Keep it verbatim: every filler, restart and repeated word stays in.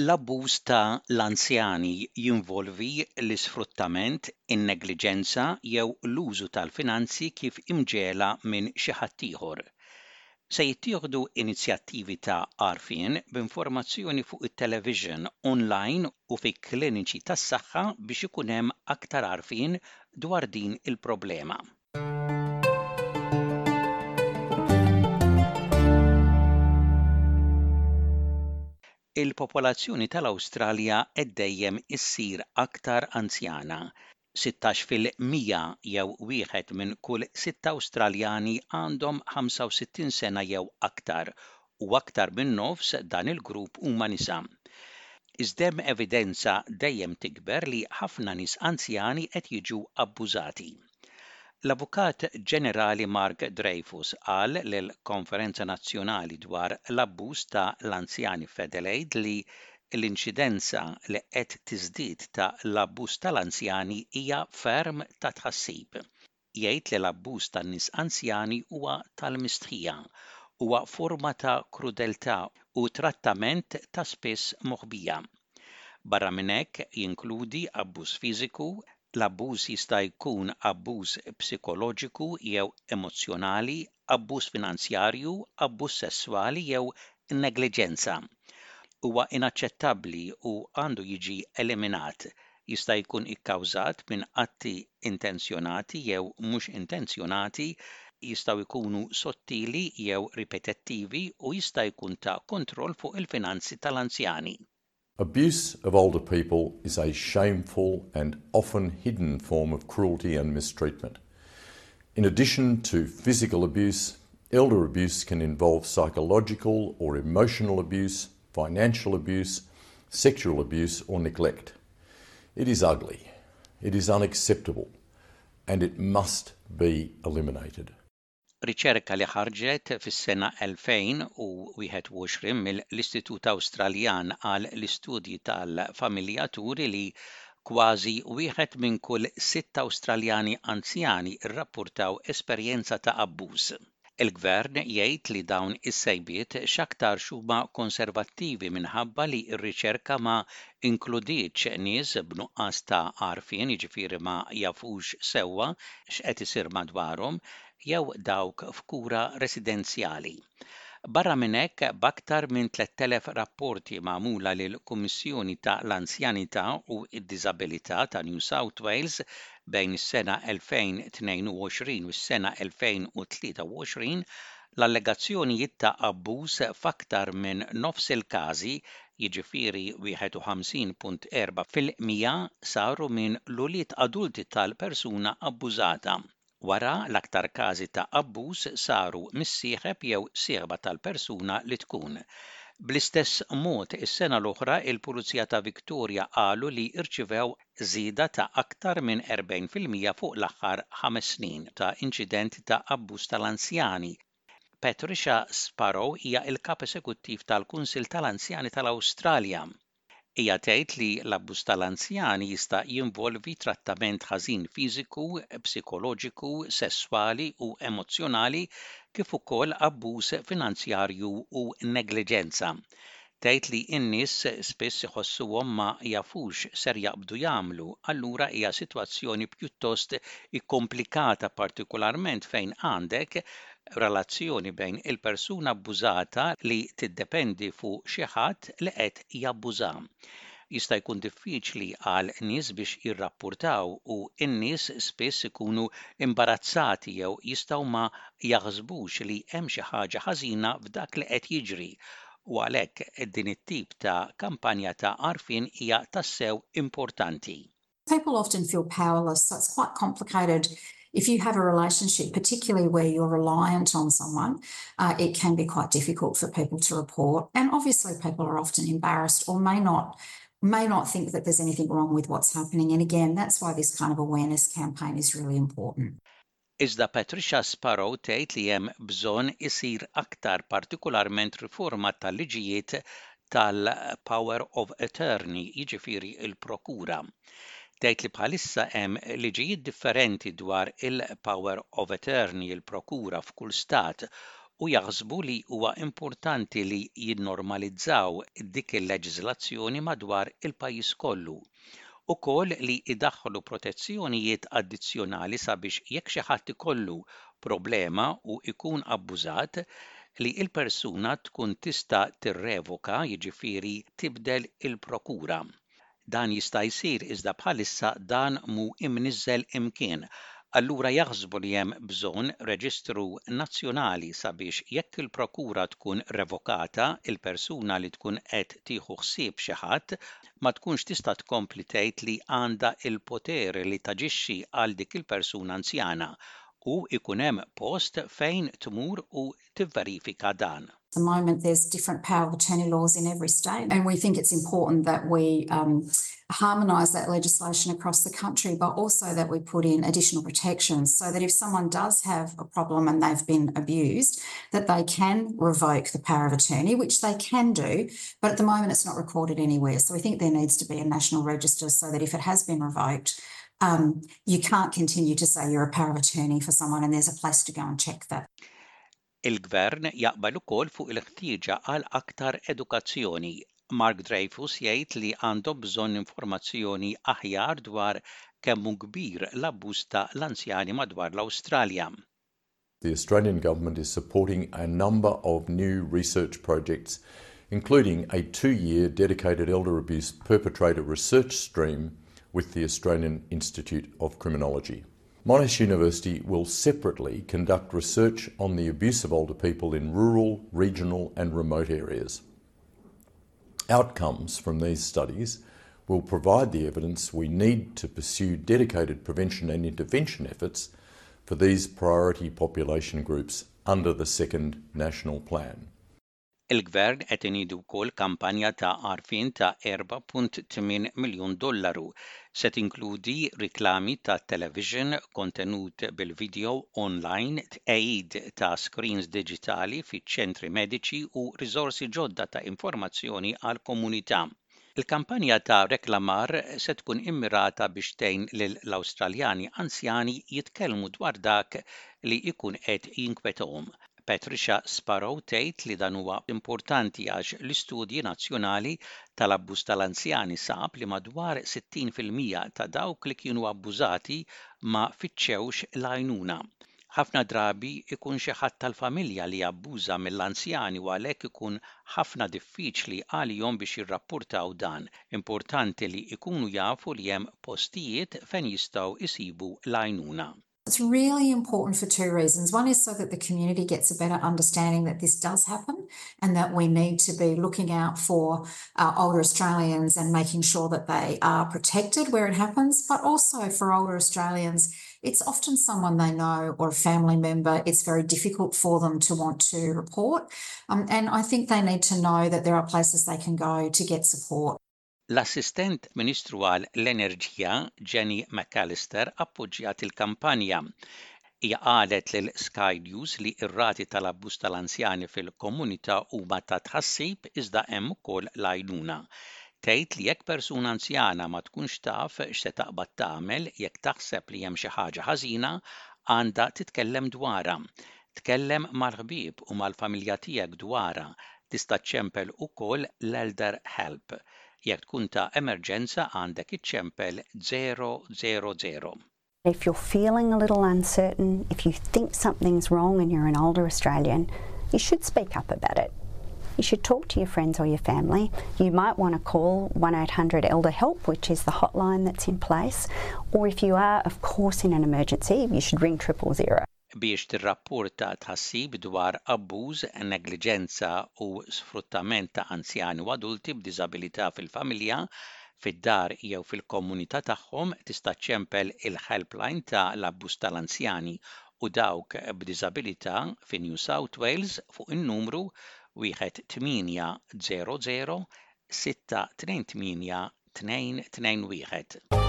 L-abbuż ta' l-anzjani jinvolvi l-isfruttament, in-negliġenza jew l-użu tal-finanzi kif imġiegħla minn xi ħadd ieħor. Se jittieħdu inizjattivi ta' għarfien b'informazzjoni fuq it-television, online u fi kliniċi tas-saħħa biex ikun hemm aktar għarfien dwar din il-problema. Il-popolazzjoni tal-Awstralja qed dejjem issir aktar anzjana. Sittax fil-mija jew wieħed minn kull sitta Awstraljani għandhom ħamsa u sittin sena jew aktar, u aktar minn nofs dan il-grupp huma nisa. Iżda hemm evidenza dejjem tikber li ħafna nies anzjani qed jiġu abbużati. L-Avukat Ġenerali Mark Dreyfus qal lill-Konferenza Nazzjonali dwar l-abbuż ta' l-anzjani f'Adelaide li l-inċidenza li qed tiżdied ta' l-abbuż tal-anzjani hija ferm ta' tħassib. Jgħid li l-abbuż tan-nies anzjani huwa tal-mistħija, huwa forma ta' krudeltà u trattament ta' spiss moħbija. Barra minn hekk jinkludi abbuż fiżiku, l-abbuż jista' jkun abbuż psikoloġiku jew emozzjonali, abbuż finanzjarju, abbuż sesswali jew negliġenza. Huwa inaċċettabbli u għandu jiġi eliminat. Jista' jkun ikkawżat minn atti intenzjonati jew mhux intenzjonati, jistgħu jkunu sottili jew ripetittivi u jista' jkun ta' kontroll fuq il-finanzi tal-anzjani. Abuse of older people is a shameful and often hidden form of cruelty and mistreatment. In addition to physical abuse, elder abuse can involve psychological or emotional abuse, financial abuse, sexual abuse or neglect. It is ugly, it is unacceptable, and it must be eliminated. Riċerka li ħarġet fis-sena elfejn u wieħed u għoxrin mill-Istitut Awstraljan għal l-Istudji tal-Familja turi li kważi wieħed minn kull sitt Awstraljani anzjani rrappurtaw esperjenza ta' abbuż. Il-gvern jgħid li dawn is-sejbiet x'aktarx huma konservattivi minħabba li r-riċerka ma inkludietx nies b'nuqqas ta' għarfien, jiġifieri ma jafux sewwa x'qed isir madwarhom, jew dawk f'kura residenzjali. Barra minn hekk, b'aktar minn tlett elef rapporti magħmula lil Kummissjoni ta' l-Anzjanità u d-Diżabilità ta' New South Wales bejn is-sena elfejn u tnejn u għoxrin u s-sena elfejn u tlieta u għoxrin, l-allegazzjonijiet ta' abbuż f'aktar minn nofs il-każi, jiġifieri wieħed u ħamsin punt erba' fil-mija, saru minn l-ulied adulti tal-persuna abbużata. Wara, l-aktar każi ta' abbuż saru mis-sieħeb jew sieħba tal-persuna li tkun. Bl-istess mod, is-sena l-oħra il-Pulizija ta' Victoria qalu li rċivew żieda ta' aktar minn erbgħin fil-mija fuq l-aħħar ħames snin ta' inċidenti ta' abbuż tal-anzjani. Patricia Sparrow hija l-kap esekuttiv tal-Kunsill tal-Anzjani tal-Awstralja. Hija tgħid li l-abbuż tal-anzjani jista' jinvolvi trattament ħażin fiżiku, psikoloġiku, sesswali u emozzjonali kif ukoll abbuż finanzjarju u negliġenza. Tgħid li n-nies spiss iħossuhom ma jafux ser jaqbdu jagħmlu, allura hija sitwazzjoni pjuttost ikkomplikata, partikolarment fejn għandek relazzjoni bejn il-persuna abbużata li tiddependi fuq xi ħadd li qed jabbuża. Jista' jkun diffiċli għal nies biex jirrappurtaw u n-nies spiss ikunu imbarazzati jew jistgħu ma jaħsbux li hemm xi ħaġa ħażina f'dak li qed jiġri, u għalhekk din it-tip ta' kampanja ta' għarfien hija tassew importanti. People often feel powerless, so it's quite complicated. If you have a relationship, particularly where you're reliant on someone, uh, it can be quite difficult for people to report. And obviously people are often embarrassed or may not may not think that there's anything wrong with what's happening. And again, that's why this kind of awareness campaign is really important. Iżda Patricia Sparrow tgħid li hemm bżonn isir aktar, partikolarment riforma tal-liġijiet tal-power of attorney, jiġifieri il-prokura. Tgħid li bħalissa hemm liġijiet differenti dwar il-power of attorney, il-prokura, f'kull stat, U jaħsbu li huwa importanti li jinnormalizzaw dik il-leġiżlazzjoni madwar il-pajjiż kollu. Ukoll li idaħħlu protezzjonijiet addizzjonali sabiex jekk xi ħadd ikollu problema u ikun abbużat, li il-persuna tkun tista' tirrevoka, jiġifieri tibdel il-prokura. Dan jista' jsir, iżda bħalissa dan mhu imniżżel imkien. Allura jaħsbu li hemm bżonn reġistru nazzjonali sabiex jekk il-prokura tkun revokata, il-persuna li tkun qed tieħu ħsieb xi ħadd ma tkunx tista' tkompli tgħid li għandha il-poter li taġixxi għal dik il-persuna anzjana u ikun hemm post fejn tmur u tivverifika dan. At the moment, there's different power of attorney laws in every state, and we think it's important that we um, harmonise that legislation across the country, but also that we put in additional protections so that if someone does have a problem and they've been abused, that they can revoke the power of attorney, which they can do, but at the moment it's not recorded anywhere. So we think there needs to be a national register so that if it has been revoked, um, you can't continue to say you're a power of attorney for someone, and there's a place to go and check that. Il-gvern jaqbel ukoll fuq il-ħtieġa għal aktar edukazzjoni. Mark Dreyfus jgħid li għandhom bżonn informazzjoni aħjar dwar kemm hu kbir l-abbuż ta' l-anzjani madwar l-Awstralja. The Australian Government is supporting a number of new research projects, including a two-year dedicated elder abuse perpetrator research stream with the Australian Institute of Criminology. Monash University will separately conduct research on the abuse of older people in rural, regional and remote areas. Outcomes from these studies will provide the evidence we need to pursue dedicated prevention and intervention efforts for these priority population groups under the second national plan. Il-gvern qed iniedi wkoll kampanja ta' għarfien ta' erbgħa punt tmienja miljun dollaru. Se tinkludi riklami ta' television, kontenut bil-video online, tqegħid ta' screens diġitali fiċ-ċentri mediċi u riżorsi ġodda ta' informazzjoni għall-komunità. Il-kampanja ta' reklamar se tkun immirata biex tgħin lill-Awstraljani anzjani jitkellmu dwar dak li jkun qed jinkwetahom. Patricia Sparrow tgħid li dan huwa importanti għax l-istudji nazzjonali tal-abbuż tal-anzjani sab li madwar sittin fil-mija ta' dawk li kienu abbużati ma fittxewx l-għajnuna. Ħafna drabi ikun xi ħadd tal-familja li jabbuża mill-anzjani u għalhekk ikun ħafna diffiċli għalihom biex jirrappurtaw dan. Importanti li ikunu jafu li hemm postijiet fejn jistgħu isibu l-għajnuna. It's really important for two reasons. One is so that the community gets a better understanding that this does happen and that we need to be looking out for uh, older Australians and making sure that they are protected where it happens, but also for older Australians, it's often someone they know or a family member. It's very difficult for them to want to report. Um, and I think they need to know that there are places they can go to get support. L-Assistent Ministru għal l-Enerġija Jenny McAllister appoġġjat il-kampanja. Hija qalet lil Sky News li r-rati tal-abbuż tal-anzjani fil-komunità huma ta' tħassib, iżda hemm ukoll l-għajnuna. Tgħid li jekk persuna anzjana ma tkunx taf x'se taqbad tagħmel, jekk taħseb li hemm xi ħaġa ħażina, għandha titkellem dwarha. Tkellem mal-ħbieb u mal-familja tiegħek dwarha. Tista' ċempel ukoll l-Elder Help. Jekk tkun ta' emerġenza, għandek iċċempel zero zero zero. If you're feeling a little uncertain, if you think something's wrong and you're an older Australian, you should speak up about it. You should talk to your friends or your family. You might want to call one eight hundred Elder Help, which is the hotline that's in place. Or if you are, of course, in an emergency, you should ring triple zero. Biex tirrapporta tħassib dwar abbuż, negliġenza u sfruttament ta' anzjani u adulti b'diżabilità fil-familja, fid-dar jew fil-komunità tagħhom, tista' ċempel il-helpline ta' l-abbuż tal-anzjani u dawk b'diżabilità fi New South Wales fuq in-numru wieħed tmienja zero zero sitta tnejn tmienja tnejn tnejn wieħed.